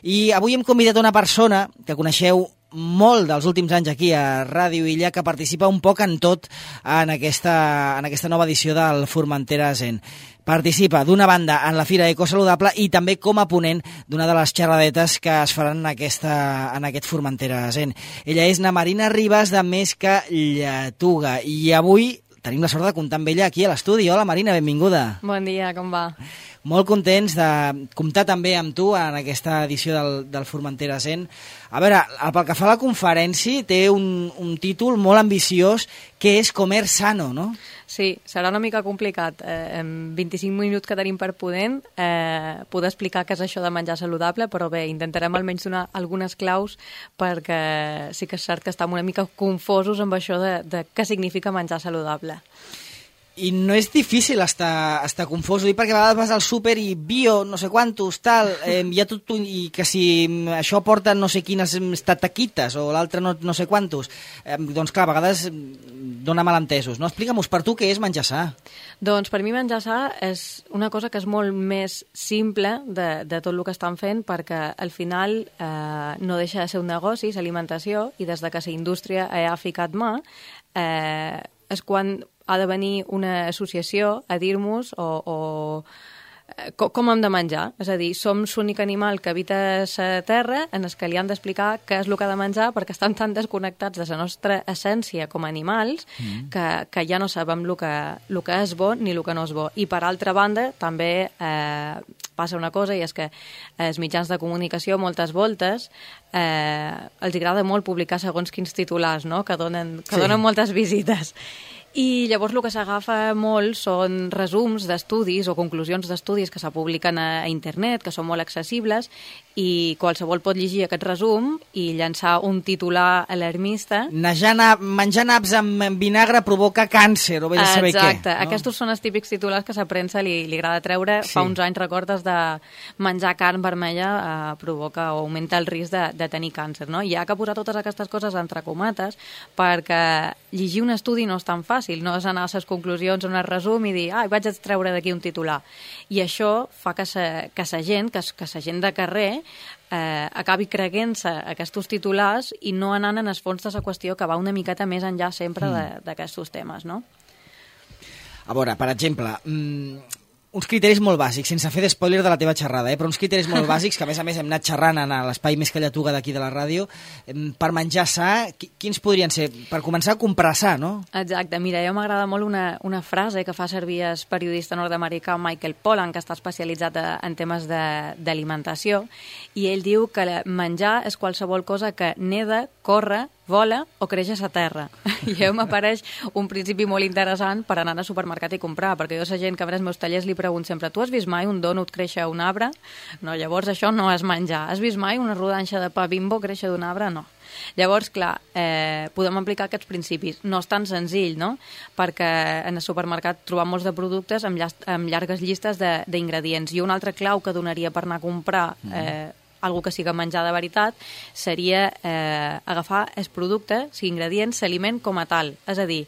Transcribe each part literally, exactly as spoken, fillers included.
I avui hem convidat una persona que coneixeu molt dels últims anys aquí a Ràdio Illa, que participa un poc en tot en aquesta, en aquesta nova edició del Formentera Zen. Participa, d'una banda, en la Fira Ecosaludable i també com a ponent d'una de les xerradetes que es faran en, aquesta, en aquest Formentera Zen. Ella és na Marina Ribas, de Més que Lletuga, i avui tenim la sort de comptar amb ella aquí a l'estudi. Hola Marina, benvinguda. Bon dia, com va? Molt contents de comptar també amb tu en aquesta edició del, del Formentera Zen. A veure, pel que fa a la conferència, té un, un títol molt ambiciós, que és Comer Sano, no? Sí, serà una mica complicat. Eh, en vint-i-cinc minuts que tenim per poder, eh, poder explicar què és això de menjar saludable, però bé, intentarem almenys donar algunes claus perquè sí que és cert que estem una mica confosos amb això de, de què significa menjar saludable. I no és difícil estar, estar confós, dic perquè a vegades vas al súper i bio, no sé quantos, tal, eh, hi ha tot un, i que si això porta no sé quines tataquites o l'altre no, no sé quantos, eh, doncs clar, a vegades dona malentesos, no? Explica-mos per tu què és menjar sa. Doncs per mi menjar sa és una cosa que és molt més simple de, de tot el que estan fent, perquè al final eh, no deixa de ser un negoci, és alimentació, i des de que la indústria ha ficat mà, eh, és quan ha de venir una associació a dir-nos o, o com, com hem de menjar. És a dir, som l'únic animal que habita la terra en el que li han d'explicar què és el que ha de menjar, perquè estan tan desconnectats de la nostra essència com a animals mm. que, que ja no sabem el que, el que és bo ni el que no és bo. I per altra banda, també eh, passa una cosa, i és que els mitjans de comunicació moltes voltes eh, els agrada molt publicar segons quins titulars, no? que, donen, que sí. donen moltes visites. I llavors el que s'agafa molt són resums d'estudis o conclusions d'estudis que se publiquen a internet, que són molt accessibles, i qualsevol pot llegir aquest resum i llançar un titular alarmista. Menjar, menjar naps amb vinagre provoca càncer, o bé de saber què. Exacte, no? Aquests són els típics titulars que a la premsa li, li agrada treure. Sí. Fa uns anys, recordes, de menjar carn vermella eh, provoca o augmenta el risc de, de tenir càncer, no? I hi ha que posar totes aquestes coses entre comates, perquè llegir un estudi no és tan fàcil, no és anar a les conclusions on es resum i dir, ah, vaig a treure d'aquí un titular. I això fa que sa, que sa gent, que, que sa gent de carrer eh, acabi creguent-se aquests titulars i no anant en el fons de la qüestió, que va una miqueta més enllà sempre mm. d'aquests temes, no? A veure, per exemple, mmm, uns criteris molt bàsics, sense fer d'espoiler de la teva xerrada, eh? però uns criteris molt bàsics, que a més a més hem anat xerrant en l'espai Més que Lletuga d'aquí de la ràdio, per menjar sa, quins podrien ser? Per començar, comprar sa, no? Exacte, mira, jo m'agrada molt una, una frase que fa servir el periodista nord-americà Michael Pollan, que està especialitzat en temes d'alimentació, i ell diu que menjar és qualsevol cosa que neda, corre, vola o creix a la terra. I a mi m'apareix un principi molt interessant per anar al supermercat i comprar, perquè jo a la gent que ve als meus tallers li pregunto sempre, tu has vist mai un dònut créixer a un arbre? No, llavors això no és menjar. Has vist mai una rodanxa de pa Bimbo créixer d'un arbre? No. Llavors, clar, eh, podem aplicar aquests principis. No és tan senzill, no? Perquè en el supermercat trobam molts de productes amb, llast amb llargues llistes d'ingredients. I una altra clau que donaria per anar a comprar eh, algo que siga menjar de veritat, seria eh, agafar el producte, si ingredient, l'aliment com a tal. És a dir,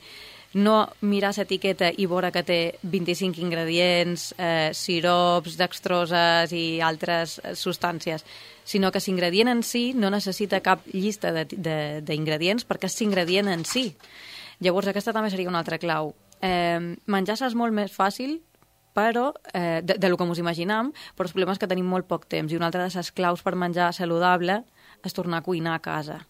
no mirar l'etiqueta i veure que té vint-i-cinc ingredients, eh, sirops, dextroses i altres substàncies, sinó que l'ingredient en si no necessita cap llista d'ingredients perquè és l'ingredient en si. Llavors aquesta també seria una altra clau. Eh, menjar és molt més fàcil, però, eh, de, de lo que ens imaginam, però el problema és que tenim molt poc temps, i una altra de les claus per menjar saludable és tornar a cuinar a casa.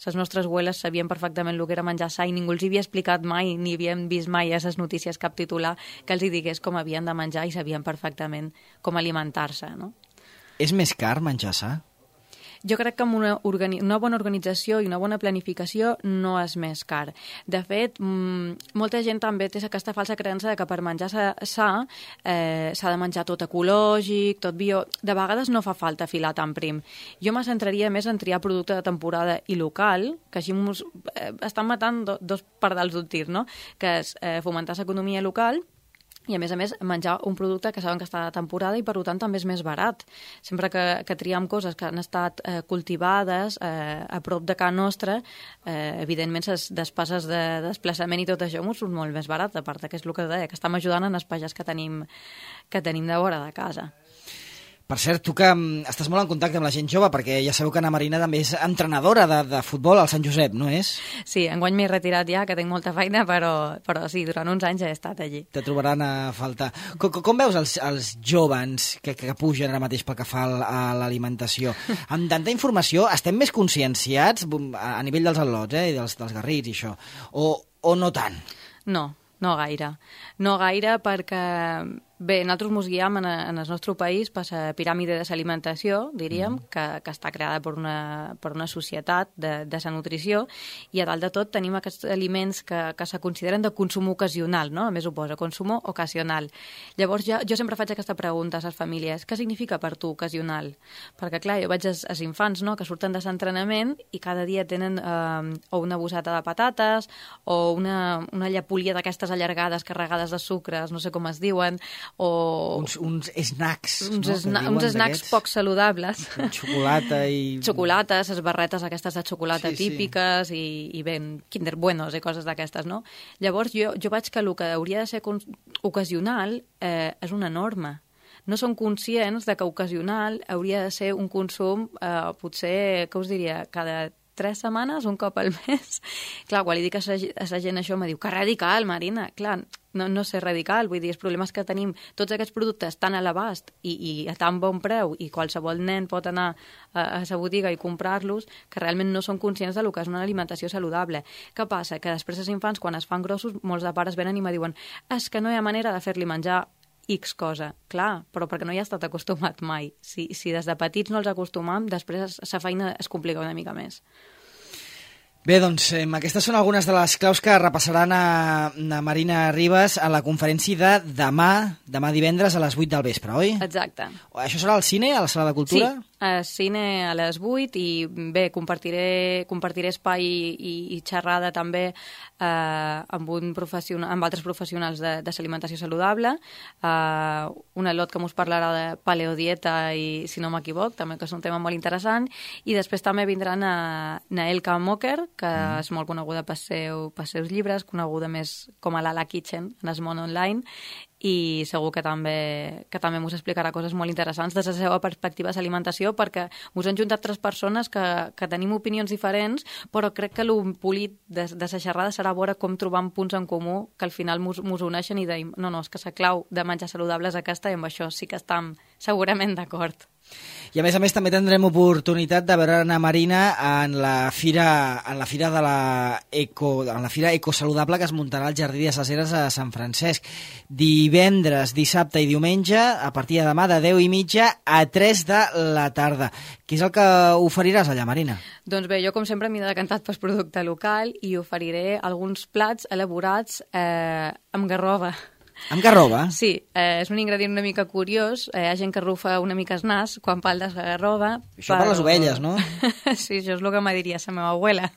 Les nostres abueles sabien perfectament el que era menjar sa i ningú els havia explicat mai, ni havien vist mai a les notícies cap titular que els hi digués com havien de menjar, i sabien perfectament com alimentar-se, no? És més car menjar sa? Jo crec que amb una, una bona organització i una bona planificació no és més car. De fet, mmm, molta gent també té aquesta falsa creença de que per menjar sa eh, s'ha de menjar tot ecològic, tot bio. De vegades no fa falta filar tan prim. Jo me centraria més en triar producte de temporada i local, que així mos, eh, estan matant do, dos pardals d'un tir, no? Que és eh, fomentar l'economia local, i a més a més menjar un producte que saben que està de temporada i per tant també és més barat. Sempre que, que triem coses que han estat eh, cultivades eh, a prop de casa nostra, eh, evidentment les despeses de desplaçament i tot això m'ho surt molt més barat, a part que és el que deia, que estem ajudant en els pagès que tenim, que tenim de vora de casa. Per cert, tu que estàs molt en contacte amb la gent jove, perquè ja sabeu que Anna Marina també és entrenadora de, de futbol al Sant Josep, no és? Sí, enguany m'he retirat ja, que tinc molta feina, però, però sí, durant uns anys he estat allí. Te trobaran a faltar. Com, com veus els, els joves que, que pugen ara mateix pel que fa a l'alimentació? Amb tanta informació, estem més conscienciats a nivell dels al·lots, eh, i dels, dels garrits i això, o, o no tant? No, no gaire. No gaire perquè... Bé, nosaltres ens guiem en, en el nostre país per la piràmide de l'alimentació, diríem, mm. que, que està creada per una, per una societat de, de la nutrició, i a dalt de tot tenim aquests aliments que, que se consideren de consum ocasional, no? A més ho posa, consum ocasional. Llavors jo, jo sempre faig aquesta pregunta a les famílies: què significa per tu ocasional? Perquè clar, jo veig els, els infants, no?, que surten de l'entrenament i cada dia tenen eh, o una bosseta de patates o una, una llapolia d'aquestes allargades carregades de sucres, no sé com es diuen, o... Uns, uns snacks, uns, no? Sna uns snacks poc saludables. Xocolata i... Xocolates, les barretes aquestes de xocolata sí, típiques, sí. i, i ben Kinder Buenos i coses d'aquestes, no? Llavors jo, jo veig que el que hauria de ser ocasional eh, és una norma. No són conscients de que ocasional hauria de ser un consum, eh, potser, què us diria, cada tres setmanes, un cop al mes. Clar, quan li dic a la gent això, me diu que radical, Marina. Clar, no, no sé radical, vull dir, els problemes que tenim, tots aquests productes tan a l'abast i, i a tan bon preu, i qualsevol nen pot anar a, a la botiga i comprar-los, que realment no són conscients del que és una alimentació saludable. Què passa? Que després els infants, quan es fan grossos, molts de pares venen i me diuen: és que no hi ha manera de fer-li menjar X cosa. Clar, però perquè no hi ha estat acostumat mai. Si, si des de petits no els acostumam, després la feina es complica una mica més. Bé, doncs, eh, aquestes són algunes de les claus que repassaran a, a Marina Ribas a la conferència de demà, demà divendres a les vuit del vespre, oi? Exacte. Això serà al cine, a la Sala de Cultura? Sí, al cine a les vuit, i bé, compartiré, compartiré espai i, i xerrada també eh, amb, un professional, amb altres professionals de, de l'alimentació saludable, eh, un al·lot que mos parlarà de paleodieta i, si no m'equivoc, també, que és un tema molt interessant, i després també vindran a Naelka Moker, que mm. és molt coneguda pels seu, pels seus llibres, coneguda més com a l'Ala Kitchen en el món online, i segur que també, que també us explicarà coses molt interessants des de la seva perspectiva de l'alimentació, perquè us han juntat tres persones que, que tenim opinions diferents, però crec que el polit de, de la xerrada serà veure com trobam punts en comú que al final mos, mos uneixen i deim, no, no, és que la clau de menjar saludable és aquesta, i amb això sí que estem segurament d'acord. I a més a més també tindrem oportunitat de veure Anna Marina en la fira, en la fira de la Eco, en la fira ecosaludable que es muntarà al Jardí de les Heres a Sant Francesc. Divendres, dissabte i diumenge, a partir de demà de deu i mitja a tres de la tarda. Què és el que oferiràs allà, Marina? Doncs bé, jo com sempre m'he decantat pel producte local i oferiré alguns plats elaborats eh, amb garrova. Amb garrova? Sí, eh, és un ingredient una mica curiós. Eh, hi ha gent que rufa una mica el nas quan parla de garrova. Això però... per les ovelles, no? Sí, això és el que me diria la meva abuela.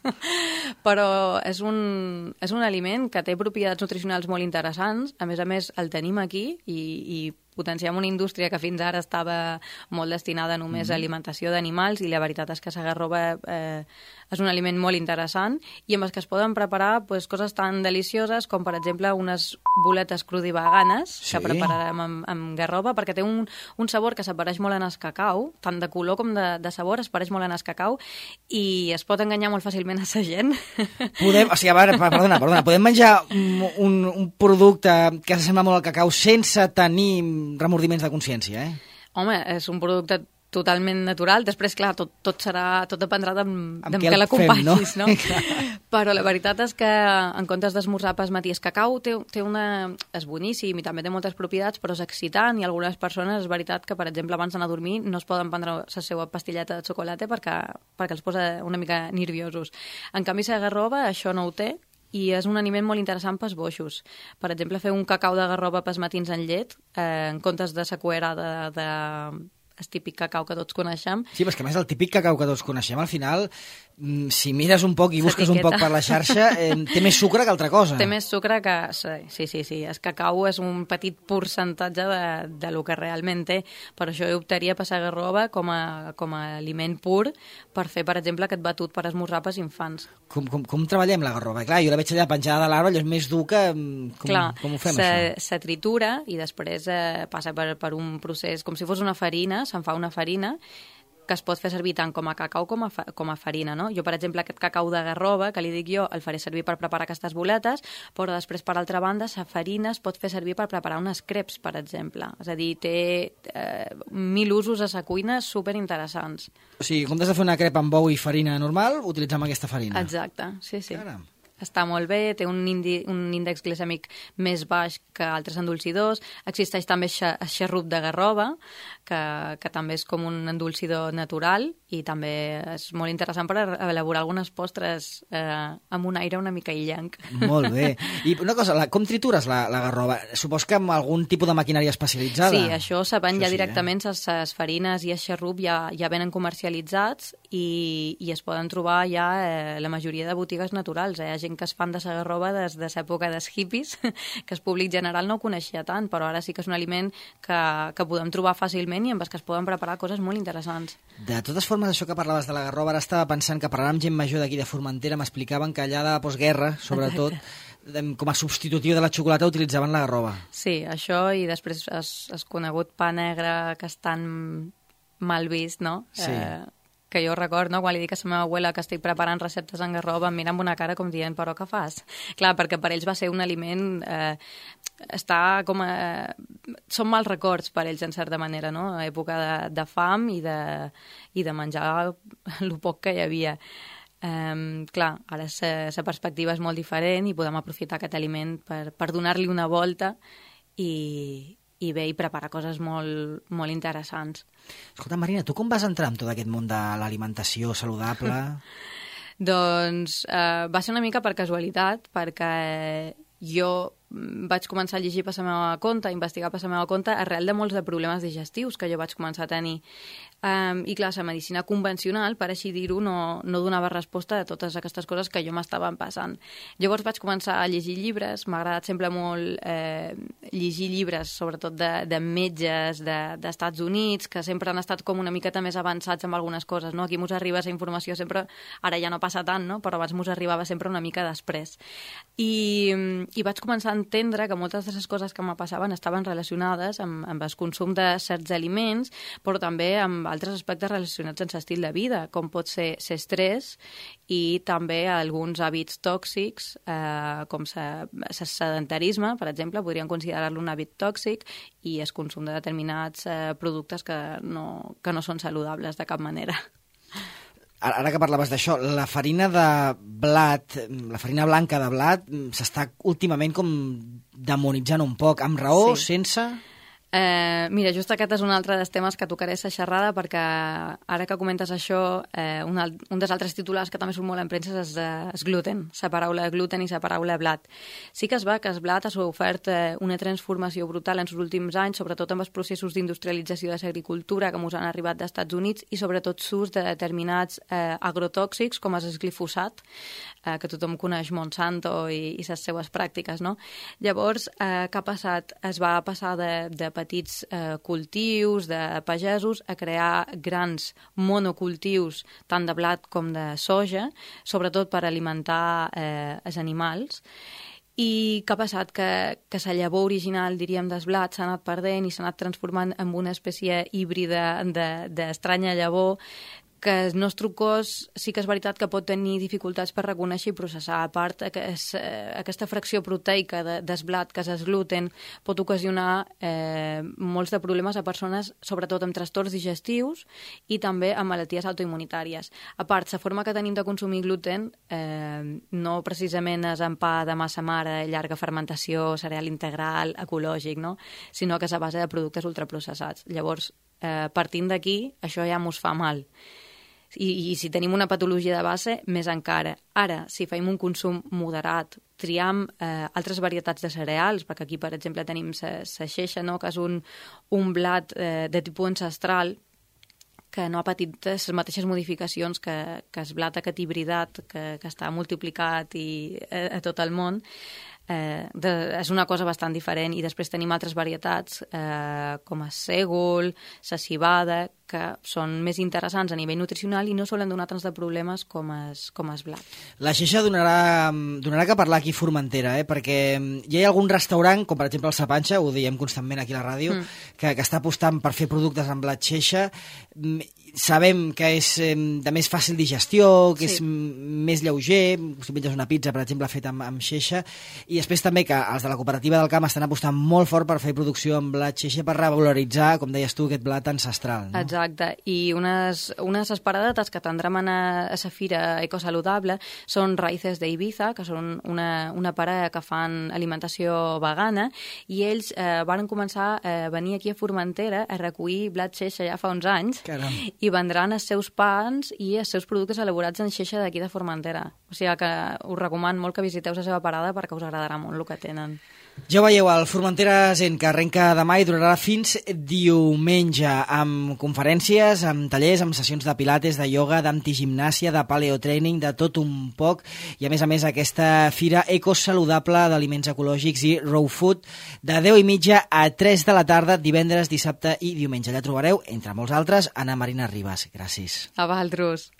Però és un, és un aliment que té propietats nutricionals molt interessants. A més a més, el tenim aquí i, i potenciem una indústria que fins ara estava molt destinada només mm. a alimentació d'animals, i la veritat és que la garrova eh, és un aliment molt interessant, i amb els que es poden preparar pues, coses tan delicioses com, per exemple, unes boletes crudiveganes sí. que prepararem amb, amb garrova, perquè té un, un sabor que s'apareix molt en el cacau, tant de color com de, de sabor, es pareix molt en el cacau, i es pot enganyar molt fàcilment a la gent. Podem, o sigui, a veure, perdona, perdona, podem menjar un, un, un producte que s'assembla molt al cacau sense tenir remordiments de consciència, eh? Home, és un producte totalment natural. Després, clar, tot, tot serà, tot dependrà de, de què què l'acompanyis, no? no? Però la veritat és que en comptes d'esmorzar pas matí, el cacau té, té una... és boníssim i també té moltes propietats, però és excitant, i algunes persones és veritat que, per exemple, abans d'anar a dormir no es poden prendre la seva pastilleta de xocolata perquè, perquè els posa una mica nerviosos. En canvi, la garrova això no ho té, i és un aliment molt interessant pels boixos. Per exemple, fer un cacau de garrova pels matins en llet, eh, en comptes de la cuera de, de el típic cacau que tots coneixem. Sí, però és que a més el típic cacau que tots coneixem, al final, si mires un poc i busques un poc per la xarxa, eh, té més sucre que altra cosa. Té més sucre que... Sí, sí, sí. El cacau és un petit percentatge de, de lo que realment té. Per això jo optaria per la garrova com a, com a aliment pur per fer, per exemple, aquest batut per esmorzar pels infants. Com, com, com treballem la garrova? Clar, jo la veig allà penjada de l'arbre, allò és més dur que... Com, Clar, com ho fem, se, això? Se tritura i després eh, passa per, per un procés com si fos una farina, se'n fa una farina que es pot fer servir tant com a cacau com a, fa, com a farina, no? Jo, per exemple, aquest cacau de garrova, que li dic jo, el faré servir per preparar aquestes boletes, però després, per altra banda, la farina es pot fer servir per preparar unes crepes, per exemple. És a dir, té eh, mil usos a la cuina superinteressants. O sigui, en comptes de fer una crepa amb ou i farina normal, utilitzem aquesta farina. Exacte, sí, sí. Caram. Està molt bé, té un, indi, un índex glicèmic més baix que altres endolcidors. Existeix també el xarrup de garrova, que, que també és com un endolcidor natural i també és molt interessant per elaborar algunes postres eh, amb un aire una mica illenc. Molt bé. I una cosa, la, com tritures la, la garrova? Supos que amb algun tipus de maquinària especialitzada? Sí, això se ven ja sí, directament, eh? les farines i el xarrup ja, ja venen comercialitzats i, i es poden trobar ja eh, la majoria de botigues naturals. Eh? Hi ha gent que es fan de la garrova des de l'època dels hippies, que el públic general no ho coneixia tant, però ara sí que és un aliment que, que podem trobar fàcilment i amb els que es poden preparar coses molt interessants. De totes formes, això que parlaves de la garrova, ara estava pensant que parlant amb gent major d'aquí de Formentera m'explicaven que allà de la postguerra, sobretot, Exacte. com a substitutiu de la xocolata utilitzaven la garrova. Sí, això i després el conegut pa negre que és tan mal vist, no? Sí. Eh, que jo record, no? Quan li dic a la meva abuela que estic preparant receptes en garrova, em mira amb una cara com dient, però què fas? Clar, perquè per ells va ser un aliment... Eh, està com a... Són mals records per ells, en certa manera, no? Època de, de fam i de, i de menjar el poc que hi havia. Um, clar, ara la perspectiva és molt diferent i podem aprofitar aquest aliment per, per donar-li una volta i... i bé, i preparar coses molt, molt interessants. Escolta, Marina, tu com vas entrar en tot aquest món de l'alimentació saludable? Doncs eh, va ser una mica per casualitat, perquè jo vaig començar a llegir per la meva compte, a investigar per la meva compte, arrel de molts de problemes digestius que jo vaig començar a tenir. Um, I clar, la medicina convencional, per així dir-ho, no, no donava resposta a totes aquestes coses que jo m'estaven passant. Llavors vaig començar a llegir llibres, m'ha agradat sempre molt eh, llegir llibres, sobretot de, de metges d'Estats de, Units, que sempre han estat com una miqueta més avançats amb algunes coses, no? Aquí mos arriba la informació sempre, ara ja no passa tant, no? Però abans mos arribava sempre una mica després. I, i vaig començar a entendre que moltes de les coses que me passaven estaven relacionades amb, amb el consum de certs aliments, però també amb altres aspectes relacionats amb l'estil de vida, com pot ser l'estrès i també alguns hàbits tòxics, eh, com el sedentarisme, per exemple, podríem considerar-lo un hàbit tòxic, i el consum de determinats eh, productes que no, que no són saludables de cap manera. Ara que parlaves d'això, la farina de blat, la farina blanca de blat, s'està últimament com demonitzant un poc, amb raó, sí. Sense... Eh, mira, just aquest és un altre dels temes que tocaré a xerrada, perquè ara que comentes això, eh, un, un dels altres titulars que també surt molt en premsa és el gluten, la paraula gluten i la paraula blat. Sí que es va que el blat ha ofert eh, una transformació brutal en els últims anys, sobretot amb els processos d'industrialització de l'agricultura que ens han arribat dels Estats Units i sobretot l'ús de determinats eh, agrotòxics com és el glifosat, eh, que tothom coneix Monsanto i, i les seues pràctiques, no? Llavors, eh, què ha passat? Es va passar de, de petits eh, cultius de pagesos a crear grans monocultius tant de blat com de soja, sobretot per alimentar eh, els animals. I què ha passat? Que, que la llavor original, diríem, del blat s'ha anat perdent i s'ha anat transformant en una espècie híbrida d'estranya llavor que el nostre cos sí que és veritat que pot tenir dificultats per reconèixer i processar. A part, aquest, aquesta fracció proteica de, del blat, que és el gluten, pot ocasionar eh, molts de problemes a persones, sobretot amb trastorns digestius i també amb malalties autoimmunitàries. A part, la forma que tenim de consumir gluten eh, no precisament és en pa de massa mare, llarga fermentació, cereal integral, ecològic, no? Sinó que és a base de productes ultraprocessats. Llavors, eh, partint d'aquí, això ja mos fa mal. I, i si tenim una patologia de base, més encara. Ara, si fem un consum moderat, triam eh, altres varietats de cereals, perquè aquí, per exemple, tenim la xeixa, no?, que és un, un blat eh, de tipus ancestral, que no ha patit les mateixes modificacions que, que el blat aquest hibridat que, que està multiplicat i, a, a tot el món. Eh, de, és una cosa bastant diferent, i després tenim altres varietats eh, com el sègol, la civada, que són més interessants a nivell nutricional i no solen donar tants de problemes com es, com es blat. La xeixa donarà, donarà que parlar aquí a Formentera, eh? Perquè hi ha algun restaurant, com per exemple el Sapanxa, ho diem constantment aquí a la ràdio, mm. que, que està apostant per fer productes amb blat xeixa. Sabem que és eh, de més fàcil digestió, que sí. és més lleuger, si menges una pizza, per exemple, feta amb, amb xeixa, i després també que els de la cooperativa del camp estan apostant molt fort per fer producció amb blat xeixa, per revaloritzar, com deies tu, aquest blat ancestral. No? Exacte, i unes, unes esparadetes que tindrem a la fira ecosaludable són Raïces d'Ibiza, que són una, una parella que fan alimentació vegana, i ells eh, van començar a venir aquí a Formentera a recollir blat xeixa ja fa uns anys. Caram. I vendran els seus pans i els seus productes elaborats en xeixa d'aquí de Formentera. O sigui que us recomano molt que visiteu la seva parada perquè us agradarà molt el que tenen. Ja ho veieu, el Formentera Zen, que arrenca demà i durarà fins diumenge, amb conferències, amb tallers, amb sessions de pilates, de ioga, d'antigimnàsia, de paleotraining, de tot un poc, i a més a més aquesta fira ecosaludable d'aliments ecològics i raw food, de deu i mitja a tres de la tarda, divendres, dissabte i diumenge. Allà trobareu, entre molts altres, Anna Marina Ribas. Gràcies. A vosaltres.